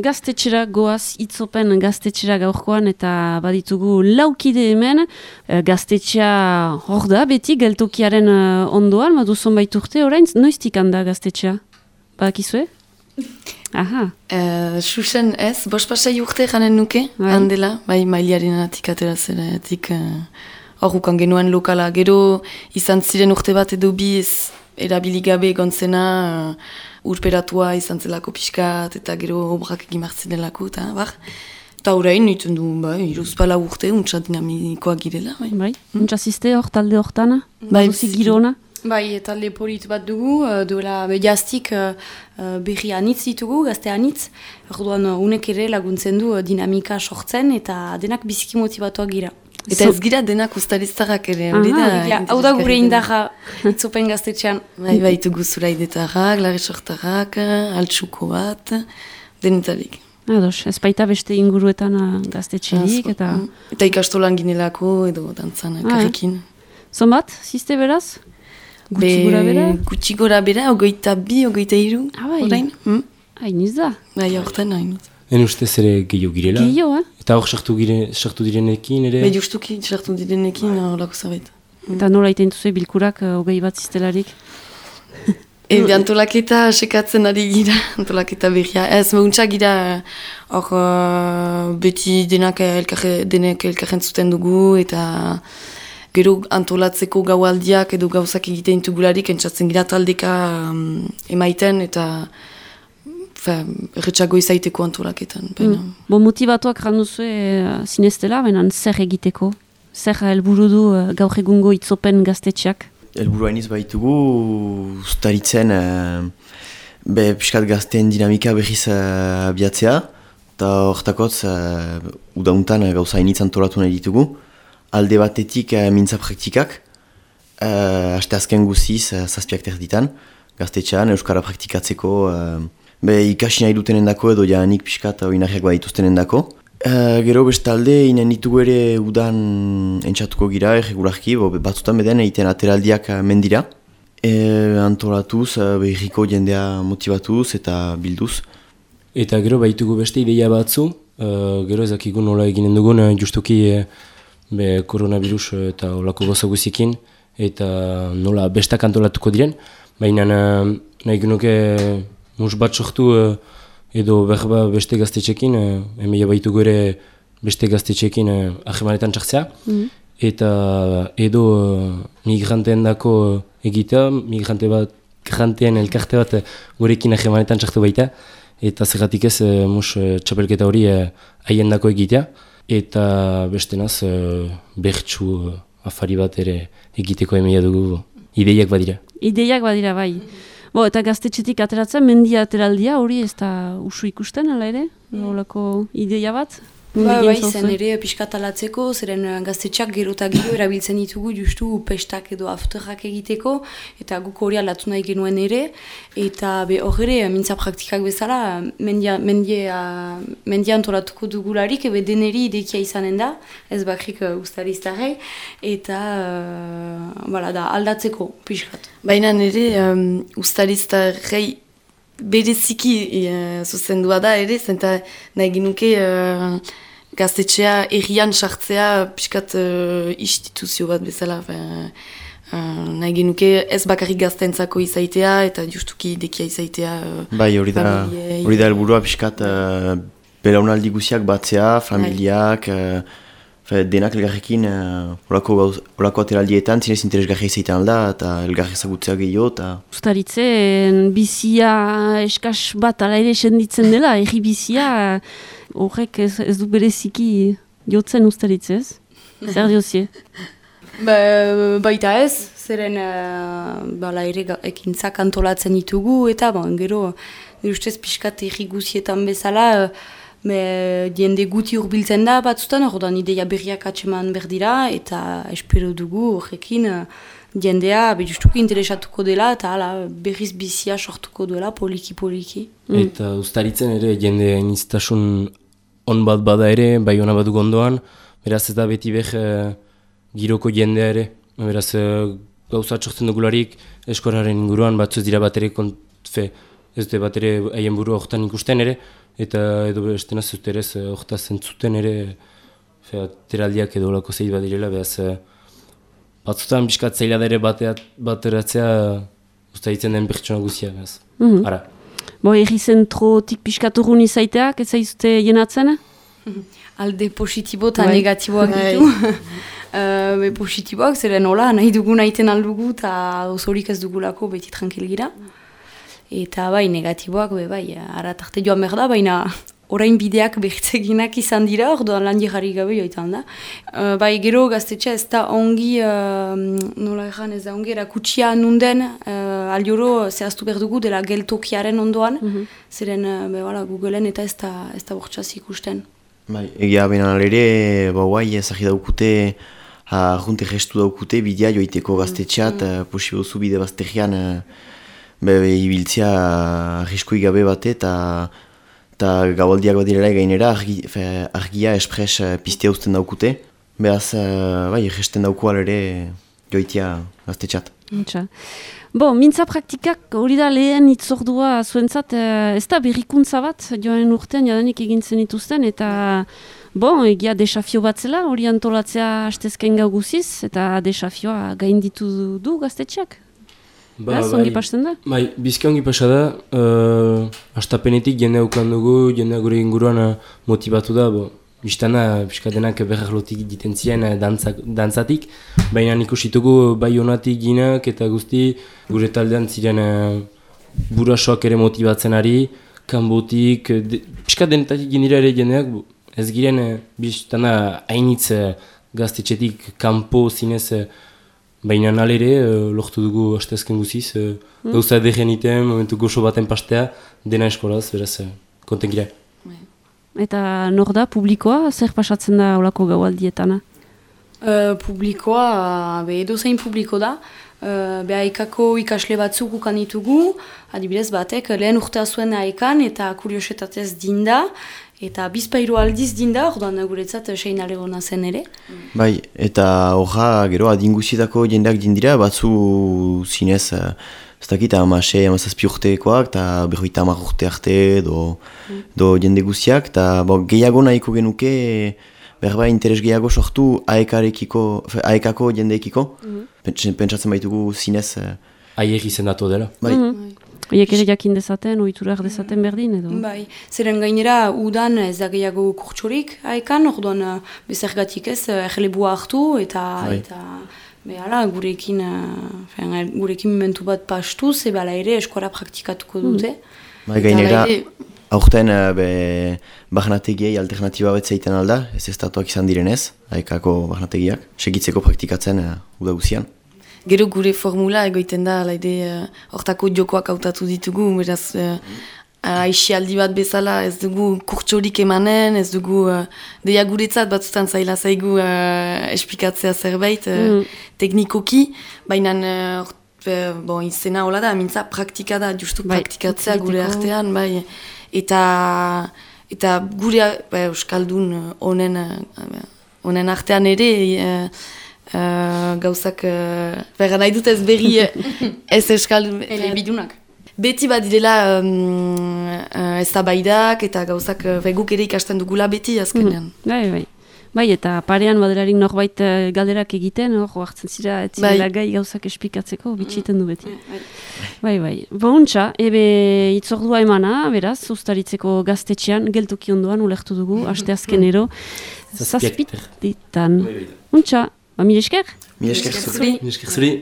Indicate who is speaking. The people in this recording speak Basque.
Speaker 1: Gaztetxera goaz itzopen gaztetxera gaurkoan eta baditugu laukide hemen. Gaztetxea hor da beti geltokiaren ondoan, badu zonbait urte orain, noiztik handa gaztetxea? Badakizue? Aha.
Speaker 2: Xuxen ez, bospasai urte janen nuke, handela, bai mailiaren atik atera zeratik horrukan genuen lokala. Gero izan ziren urte bat edo biz erabiligabe gontzena, urperatua izan zelako pixkat, eta gero obrak egin martzinelako, eta bar. Eta horrein, nintzen du, iruzpala urte, untsa dinamikoa girela.
Speaker 1: Bai, untsa ziste hor talde hortana?
Speaker 2: Bai,
Speaker 1: girona?
Speaker 3: Bai, talde polit bat dugu, duela jaztik berri anitz ditugu, gazte anitz. Orduan, unek ere laguntzen du dinamika sortzen, eta denak biziki motivatuak gira.
Speaker 2: Eta ez gira denak ustariztarrak ere, hori da?
Speaker 3: Hau da gure indarra itzopen gaztetxean.
Speaker 2: Bai, tugu zuraidetarrak, larresortarrak, altsuko bat, denetarik.
Speaker 1: Ados, ez baita beste inguruetan gaztetxerik, eta...
Speaker 2: Eta ikastolan ginelako, edo dantzan, karrekin.
Speaker 1: Zonbat, ziste beraz? Gutxi gora bera?
Speaker 2: Gutxi gora bera, 22, 23, orain.
Speaker 1: Hainiz da.
Speaker 2: Bai, horretan hainiz.
Speaker 4: En ustez ere gehiago girela.
Speaker 1: Gehiago,
Speaker 4: Eta hor sartu direnekin ere?
Speaker 2: Bai, justuki sartu direnekin horako zabait.
Speaker 1: Eta nola iten duzu bilkurak 20 bat ziztelarik?
Speaker 2: Antolaketa sekatzen ari gira, antolaketa berria. Ez, meuntza gira hor beti denek elkarren zuten dugu, eta gero antolatzeko gaualdiak edo gauzak egiten dugularik entzatzen gira taldeka emaiten, eta erretxago izaiteko antolaketan.
Speaker 1: Bo motivatuak randuzu zineztela, baina zer egiteko? Zer helburu du gaur egungo itzopen gaztetxeak?
Speaker 5: Helburu hainiz baitugu, ustaritzen piskat gazteen dinamika berriz abiatzea, eta hortakotz udauntan gauza hainitz antolatu nahi ditugu. Alde batetik mintza praktikak, haste azken guziz zazpiak terditan, gaztetxean euskara praktikatzeko, ikasi nahi dutenen dako edo janik pixkat oinarriak badituztenen dako. Gero bestalde, inen ditugu ere udan entxatuko gira, erregularki, batzutan beden egiten ateraldiak mendira. Antolatuz, irriko jendea motibatuz eta bilduz.
Speaker 4: Eta gero baitugu beste ideia batzu, gero ezakigu nola eginen dugun, justuki koronavirus eta olako goza guziekin, eta nola bestak antolatuko diren, baina nahi genuke mus bat sortu edo berba beste gaztetxekin, hemeia baitugu ere beste gaztetxekin ahemanetan txartzea, eta edo migranteen dako egitea, migranteen elkarte bat gurekin ahemanetan txartu baita, eta zergatik ez mus txapelketa hori haien dako egitea, eta beste naz bertsu afari bat ere egiteko hemeia dugu ideiak badira.
Speaker 1: Ideiak badira, bai. Eta gaztetxetik ateratzen, mendia ateraldia hori ez da usu ikusten, ala ere? Olako ideia bat?
Speaker 3: Bai, zen ere piskatalatzeko, zeren gaztetxeak gero eta gero erabiltzen ditugu justu pestak edo afterrak egiteko, eta guk hori alatu nahi genuen ere, eta hor ere, mintza praktikak bezala, mendia antolatuko dugularik, deneri idekia izanen da, ez bakrik ustariztarrei, eta da, aldatzeko piskat.
Speaker 2: Baina nire ustariztarrei bereziki zuzendua da ere, zenta nahi ginuke gaztetxea errian sartzea pixkat instituzio bat bezala. Nahi genuke ez bakarrik gaztentzako izaitea eta justuki dekia izaitea.
Speaker 5: Bai, hori da helburua pixkat belaunaldi guziak batzea, familiak, denak elgarrekin olako ateraldietan zinez interesgarria izaiten alda eta elgarri ezagutzea gehiago.
Speaker 1: Ustaritzen bizia eskas bat ala ere senditzen dela, erri bizia horrek ez du bereziki jotzen ustaritzez. Zer diozie?
Speaker 3: Baita ez, zeren ere ekintzak antolatzen ditugu eta gero ustez pixkat erri guzietan bezala jende guti urbiltzen da batzutan, ordan ideia berriak atseman berdira eta espero dugu horrekin jendea justuki interesatuko dela eta berriz bizia sortuko dela poliki-poliki.
Speaker 4: Eta ustaritzen ere jende hainiztasun on bat bada ere, bai hona bat ondoan, beraz ez da beti giroko jendea ere, beraz gauza txortzen dugularik eskoraren inguruan batzuz dira bat ere ez dute bat ere haien burua horretan ikusten ere, eta edo beste nazut ere horretaz zentzuten ere, teraldiak edo olako zeit bat direla, behaz batzutan biskat zaila da ere bateratzea usta ditzen den pertsona guzia, behaz. Ara.
Speaker 1: Bo, erri zentrotik piskaturun izaiteak, ez zaizute jenatzen?
Speaker 3: Alde positibo eta negatiboak ditu. Positiboak, zeren hola, nahi dugu nahiten aldugu eta osorik ez dugulako beti tranquil gira. Eta bai, negatiboak, bai, aratarte joan behar da, baina orain bideak behitzeginak izan dira, orduan lan jarri gabe joitan da. Bai, gero gaztetxea ez da ongi, nola egan ez da ongi, erakutsia nunden, aldioro zehaztu behar dugu dela geltokiaren ondoan, zeren Googleen eta ez da bortxaz ikusten.
Speaker 5: Bai, egia benan ere, guai, ezagir daukute, junte gestu daukute, bidea joiteko gaztetxeat, posibozu bide bazterian, ibiltzea arriskoi gabe bate, eta gabaldiak bat direla gainera argia espres piztea uzten daukute. Beraz, gesten dauko alere joitea gaztetxeat.
Speaker 1: Bo, mintza praktikak hori da lehen itzordua zuentzat, ez da berrikuntza bat joan urtean jadanik egintzen dituzten, eta egia desafio bat zela hori antolatzea hastezken gau guziz, eta desafioa gainditu du gaztetxeak? Ongi pasten da? Bai,
Speaker 4: bizka ongi pasa da, hastapenetik jendea ukan dugu, jendea gure inguruan motivatu da, biztana, piskadenak berraklotik diten ziren dantzatik, baina ikusitugu bai honatik ginak eta guzti gure taldean ziren burasoak ere motibatzen ari, kanbotik, piskadenetatik ginira ere jendeak, ez giren biztana hainitz gaztetxetik kanpo zinez, baina nalere lortu dugu hastezken guziz, gauza edegen iten, momentu goxo baten pastea, dena eskolaz, beraz, konten gira.
Speaker 1: Eta nor da, publikoa, zer pasatzen da olako gaualdietana?
Speaker 3: Publikoa, edo zein publiko da, Aekako ikasle batzuk ukan ditugu, adibidez batek lehen urtea zuen Aekan eta kuriosetatez dinda, eta bizpairu aldiz dinda, orduan guretzat sein alegona zen ere.
Speaker 5: Bai, eta horra gero adinguzietako jendeak dindira, batzu zinez, ez dakit, amazazpi urtekoak, eta berroita hamar urte arte, do jende guziak, eta gehiago nahiko genuke, berba interes gehiago sortu Aekako jendeekiko. Pentsatzen baitugu zinez...
Speaker 4: Aiek izendatu dela.
Speaker 5: Bai.
Speaker 1: Oiek ere jakin dezaten, oiturak dezaten berdin edo?
Speaker 3: Bai, zeren gainera udan ez da gehiago kurtsorik Aekan, orduan bezergatik ez, erlebua hartu eta gurekin momentu bat pastuz, ebala ere eskuara praktikatuko dute.
Speaker 5: Bai, gainera, aurten bahnategiei alternatiba bat zeiten alda, ez estatuak izan direnez, Aekako bahnategiak, segitzeko praktikatzen uda guzian.
Speaker 2: Gero gure formula egoiten da, hortako jokoak hautatu ditugu, beraz, aixialdi bat bezala ez dugu kurtsorik emanen, ez dugu deia guretzat batzutan zaila zaigu esplikatzea zerbait teknikoki, baina izena hola da, mintza praktika da, justu praktikatzea gure artean, bai, eta gure euskaldun honen artean ere, gauzak berra nahi dut ez berri ez euskaldun
Speaker 3: elebidunak.
Speaker 2: Beti bat direla eztabaidak eta gauzak guk ere ikasten dugula beti azkenean.
Speaker 1: Bai, eta parean baderarik norbait galderak egiten, hartzen zira ez zirela gai gauzak esplikatzeko, bitxiten du beti. Bai. Bontxa, itzordua emana, beraz, ustaritzeko gaztetxean, geltoki ondoan ulertu dugu, asteazkenero, zazpitetan. Bontxa, mil esker?
Speaker 5: Mil esker zuri.